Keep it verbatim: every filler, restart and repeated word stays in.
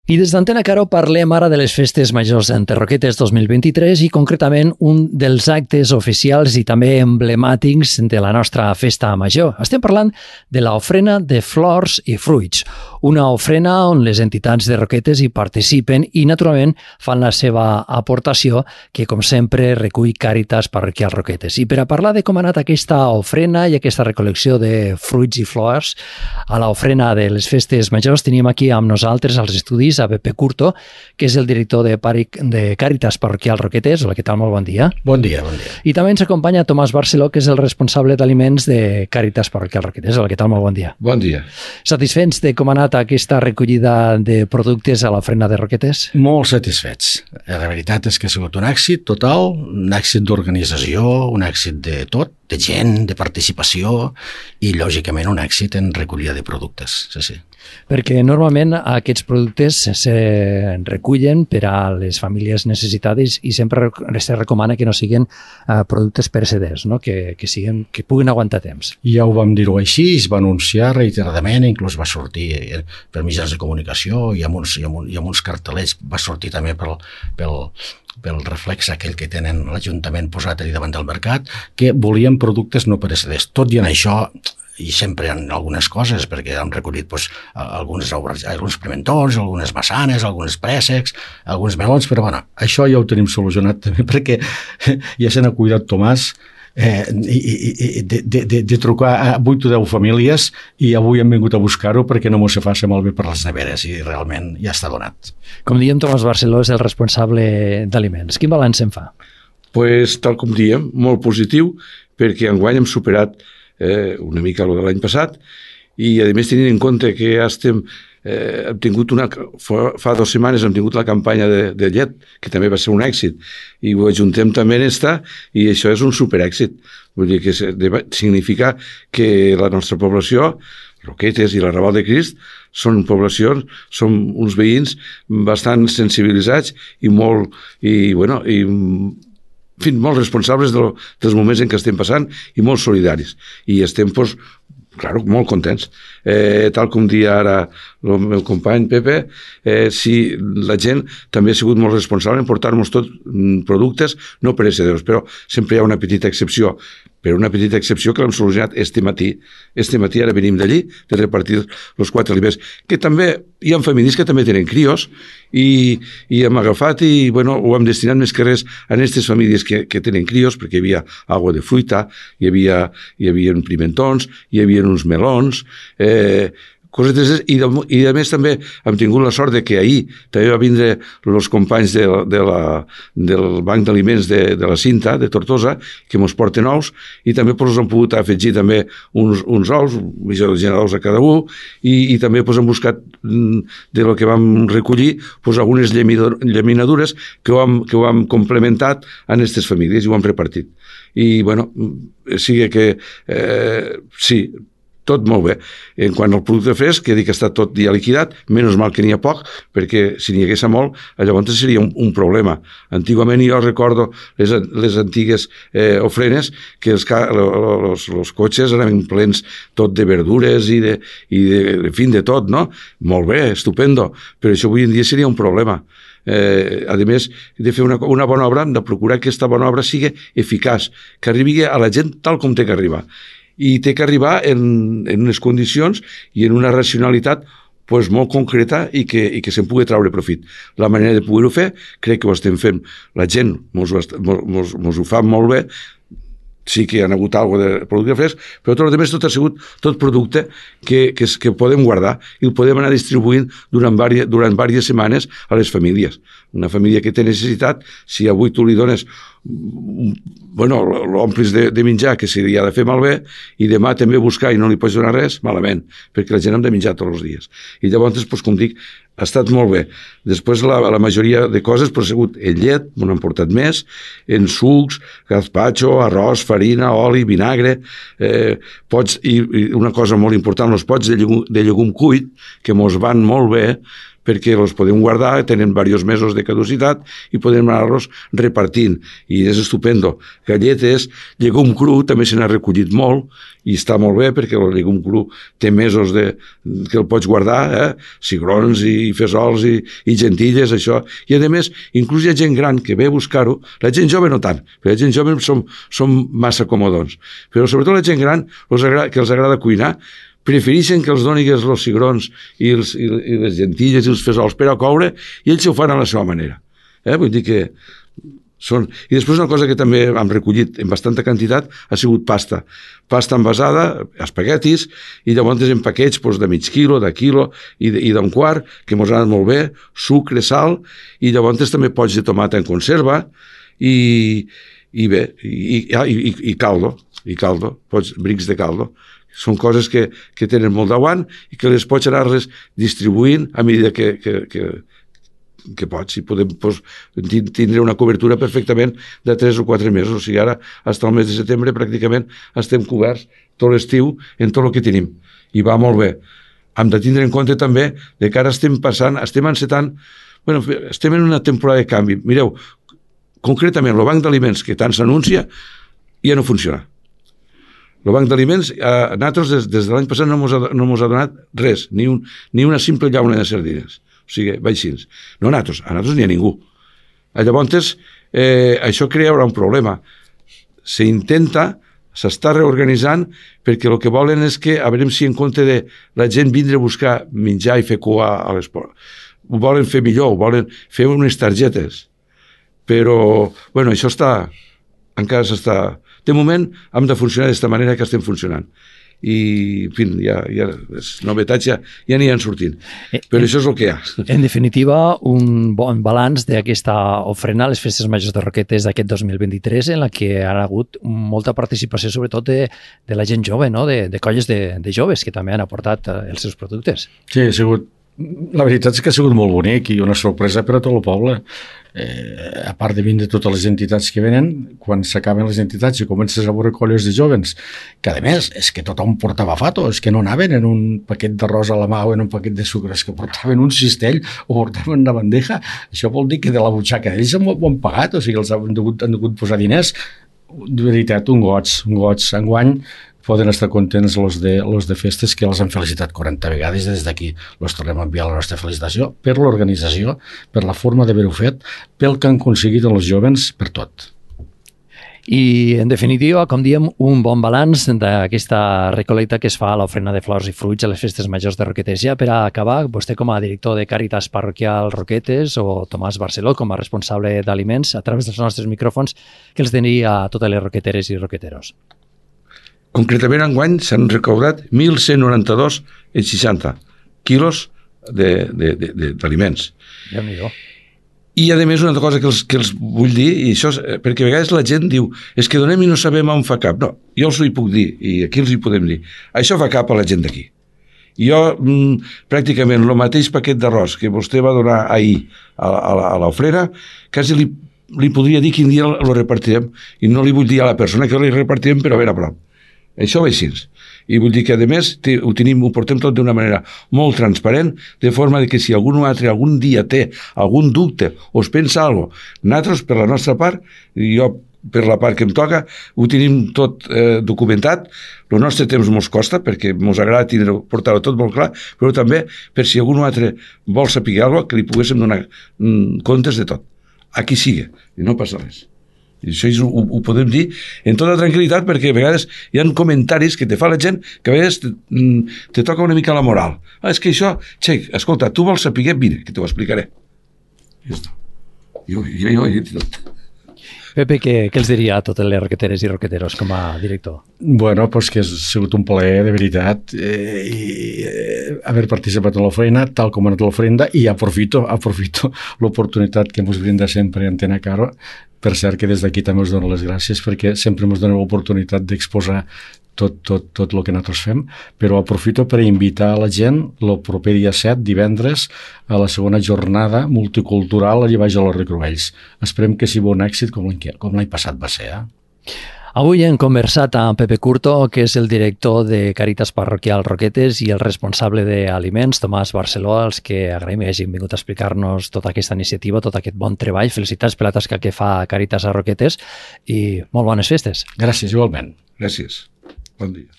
I des d'Antena Caro parlem ara de les festes majors de Roquetes dos mil vint-i-tres i concretament un dels actes oficials i també emblemàtics de la nostra festa major. Estem parlant de l'ofrena de flors i fruits, una ofrena on les entitats de Roquetes hi participen i naturalment fan la seva aportació que com sempre recull Càritas Parroquial Roquetes. I per a parlar de com ha anat aquesta ofrena i aquesta recol·lecció de fruits i flors a l'ofrena de les festes majors tenim aquí amb nosaltres als estudis a Pepe Curto, que és el director de, Paric, de Càritas Parroquial Roquetes. Hola, què tal? Molt bon dia. Bon dia, bon dia. I també ens acompanya Tomàs Barceló, que és el responsable d'aliments de Càritas Parroquial Roquetes. Hola, què tal? Molt bon dia. Bon dia. Satisfets de com ha anat aquesta recollida de productes a l'ofrena de Roquetes? Molt satisfets. La veritat és que ha sigut un èxit total, un èxit d'organització, un èxit de tot, de gent, de participació i, lògicament, un èxit en recollida de productes. Sí, sí. Perquè normalment aquests productes se recullen per a les famílies necessitades i sempre se recomana que no siguin uh, productes pereceders, no? que, que, siguin, que puguin aguantar temps. Ja ho vam dir-ho així, es va anunciar reiteradament, inclús va sortir per mitjans de comunicació i amb uns, i amb, i amb uns cartellets, va sortir també pel, pel, pel reflex aquell que tenen l'Ajuntament posat allà davant del mercat, que volien productes no pereceders. Tot i en això, i sempre hi ha algunes coses, perquè hem recollit doncs, alguns, alguns pimentons, algunes massanes, alguns préssecs, alguns melons, però bueno, això ja ho tenim solucionat també, perquè ja se n'ha cuidat Tomàs eh, i, i, de, de, de, de trucar a vuit o deu famílies i avui hem vingut a buscar-ho perquè no m'ho se faci malbé per les neveres i realment ja està donat. Com diem, Tomàs Barceló és el responsable d'aliments. Quin balanç en fa? Pues, tal com diem, molt positiu, perquè enguany hem superat Eh, una mica el de l'any passat i a més tenint en compte que ja estem eh, hem tingut una, fa, fa dues setmanes hem tingut la campanya de, de llet que també va ser un èxit i ho ajuntem també en esta i això és un superèxit, vull dir que significa que la nostra població Roquetes i la Raval de Crist són poblacions, són uns veïns bastant sensibilitzats i molt i bueno i en fi, molt responsables de lo, dels moments en què estem passant i molt solidaris. I estem, doncs, claro, molt contents. Eh, tal com dia ara el meu company Pepe, eh, si la gent també ha sigut molt responsable en portar-nos tots productes no perecedors, però sempre hi ha una petita excepció, però una petita excepció que l'hem solucionat este matí. Este matí ara venim d'allí de repartir els quatre aliments, que també hi ha famílies que també tenen crios i, i hem agafat i bueno, ho hem destinat més que res a aquestes famílies que, que tenen crios, perquè hi havia agua de fruita, hi havia, hi havia pimentons, hi havia uns melons, eh, cosetes, i, de, i a més també hem tingut la sort de que ahir també va vindre els companys de, de la, del Banc d'Aliments de, de la Cinta, de Tortosa, que ens porten ous, i també pues, hem pogut afegir també uns, uns ous, generals a cada un, i, i també pues, hem buscat de lo que vam recollir pues, algunes llaminadures que ho, hem, que ho hem complementat a aquestes famílies i ho hem repartit. I, bueno, sigui que eh, sí, tot molt bé. En quant al producte fresc, que dic que està tot ja liquidat, menys mal que n'hi ha poc, perquè si n'hi hagués molt, llavors seria un, un problema. Antigament jo recordo les, les antigues eh, ofrenes que els, els, els cotxes eren plens tot de verdures i de, i de, en fi, de tot, no? Molt bé, estupendo, però això avui en dia seria un problema. Eh, a més de fer una, una bona obra, hem de procurar que aquesta bona obra sigui eficaç, que arribi a la gent tal com té que arribar. I té que arribar en, en unes condicions i en una racionalitat pues, molt concreta i que, i que se'n pugui treure profit. La manera de poder-ho fer, crec que ho estem fent. La gent mos, mos, mos ho fa molt bé, sí que hi ha hagut alguna de producte fresc, però tot el rest tot ha sigut tot producte que, que, que podem guardar i el podem anar distribuint durant diverses, durant diverses setmanes a les famílies. Una família que té necessitat, si avui tu li dones bueno, l'omplis de, de menjar, que se li ha de fer malbé, i demà també buscar i no li pots donar res, malament, perquè la gent hem de menjar tots els dies. I llavors, doncs, com dic, ha estat molt bé. Després la, la majoria de coses però ha sigut en llet, m'ho han portat més, en sucs, gazpacho, arròs, farina, oli, vinagre, eh, pots, i, i una cosa molt important, els pots de llegum, de llegum cuit, que mos van molt bé, perquè els podem guardar, tenen diversos mesos de caducitat i podem anar-los repartint. I és estupendo. Galletes, llegum cru, també se n'ha recollit molt i està molt bé perquè el llegum cru té mesos de, que el pots guardar, eh? Cigrons i fesols i, i gentilles, això. I a més, inclús hi ha gent gran que ve a buscar-ho, la gent jove no tant, perquè la gent jove som, som massa comodons, però sobretot la gent gran els agrada, que els agrada cuinar, prefereixen que els doni els cigrons i, els, i, i les gentilles i els fesols per a coure i ells ho fan a la seva manera. Eh? Vull dir que són... I després una cosa que també hem recollit en bastanta quantitat ha sigut pasta. Pasta envasada, espaguetis, i llavors en paquets doncs, de mig quilo, de quilo i, i d'un quart, que mos han anat molt bé, sucre, sal, i llavors també pots de tomata en conserva, i, i bé, i, i, i, i caldo, i caldo, pots, brics de caldo. Són coses que, que tenen molt d'aguant i que les pots anar-les distribuint a mesura que, que, que, que pots. I podem pues, tindre una cobertura perfectament de tres o quatre mesos. O sigui, ara, fins al mes de setembre, pràcticament estem coberts tot l'estiu en tot el que tenim. I va molt bé. Hem de tindre en compte també de que ara estem passant, estem encetant, bueno, estem en una temporada de canvi. Mireu, concretament, el banc d'aliments que tant s'anuncia ja no funciona. El banc d'aliments, eh, nosaltres des, des de l'any passat no ens ha, no ha donat res, ni, un, ni una simple llauna de sardines. O sigui, vaixins. No a nosaltres, a nosaltres ni a ningú. Llavors, eh, això crea un problema. S'intenta, s'està reorganitzant, perquè el que volen és que, a veure si en compte de la gent vindre a buscar menjar i fer cua a l'esport. Ho volen fer millor, ho volen fer unes targetes. Però, bueno, això està, encara s'està... De moment hem de funcionar d'aquesta manera que estem funcionant. I, en fi, ja, ja, les novetats ja, ja n'hi han sortint. Però en, això és el que hi ha. En definitiva, un bon balanç d'aquesta ofrena a les festes majors de Roquetes d'aquest dos mil vint-i-tres, en la que ha hagut molta participació, sobretot de, de la gent jove, no? de, de colles de, de joves que també han aportat els seus productes. Sí, ha sigut... La veritat és que ha sigut molt bonic i una sorpresa per a tot el poble. Eh, a part de vindre totes les entitats que venen, quan s'acaben les entitats i comences a veure colles de jovens, que a més és que tothom portava fato, és que no anaven en un paquet d'arròs a la mà o en un paquet de sucre, és que portaven un cistell o portaven una bandeja. Això vol dir que de la butxaca d'ells ho han pagat, o sigui, els han degut, han degut posar diners. De veritat, un goig, un goig. Enguany poden estar contents els de, els de festes, que els han felicitat quaranta vegades, i des d'aquí els tornem a enviar la nostra felicitació per l'organització, per la forma d'haver-ho fet, pel que han aconseguit els jovens, per tot. I, en definitiva, com diem, un bon balanç d'aquesta recolecta que es fa a l'ofrena de flors i fruits a les festes majors de Roquetes. Ja per a acabar, vostè com a director de Càritas Parroquial Roquetes o Tomàs Barceló com a responsable d'aliments, a través dels nostres micròfons, que els diria a totes les roqueteres i roqueteros? Concretament, enguany s'han recaudat mil cent noranta-dos coma seixanta quilos d'aliments. Déu-n'hi-do. I, a més, una altra cosa que els, que els vull dir, i això és, perquè a vegades la gent diu és que donem i no sabem on fa cap. No, jo els ho hi puc dir, i aquí els hi podem dir. Això fa cap a la gent d'aquí. Jo, mm, pràcticament, el mateix paquet d'arròs que vostè va donar ahir a, a, a l'ofrena, quasi li, li podria dir quin dia el repartirem, i no li vull dir a la persona que li repartirem, però ben a prop. Això va així. I vull dir que, a més, ho tenim, ho portem tot d'una manera molt transparent, de forma que si algun altre algun dia té algun dubte o es pensa alguna cosa, nosaltres, per la nostra part, i jo per la part que em toca, ho tenim tot eh, documentat. El nostre temps mos costa, perquè mos agrada tindre, portar-ho tot molt clar, però també per si algun altre vol saber alguna cosa, que li poguéssim donar mm, comptes de tot. Aquí sigui, i no passa res. I això ho, ho podem dir en tota tranquil·litat, perquè a vegades hi ha comentaris que te fa la gent que a vegades te, te toca una mica la moral. Ah, és que això, xec, escolta, tu vols saber, vine, que t'ho explicaré. I ja està. Jo, jo, jo, he dit tot. Pepe, què, què els diria a totes les roqueteres i roqueteros com a director? Bueno, pues que ha sigut un plaer, de veritat, eh, i eh, haver participat en l'ofrena, tal com ha anat l'ofrenda, i aprofito, aprofito l'oportunitat que ens brinda sempre Antena Caro. Per cert, que des d'aquí també us dono les gràcies, perquè sempre ens doneu l'oportunitat d'exposar tot, tot, tot el que nosaltres fem, però aprofito per invitar a la gent el proper dia set, divendres, a la segona jornada multicultural allà baix a los Recruells. Esperem que sigui un èxit com l'any passat va ser. Eh? Avui hem conversat amb Pepe Curto, que és el director de Càritas Parroquial Roquetes, i el responsable d'aliments, Tomàs Barceló, als que agraïm que hagin vingut a explicar-nos tota aquesta iniciativa, tot aquest bon treball. Felicitats per la tasca que fa Càritas a Roquetes i molt bones festes. Gràcies, igualment. Gràcies. Bon dia.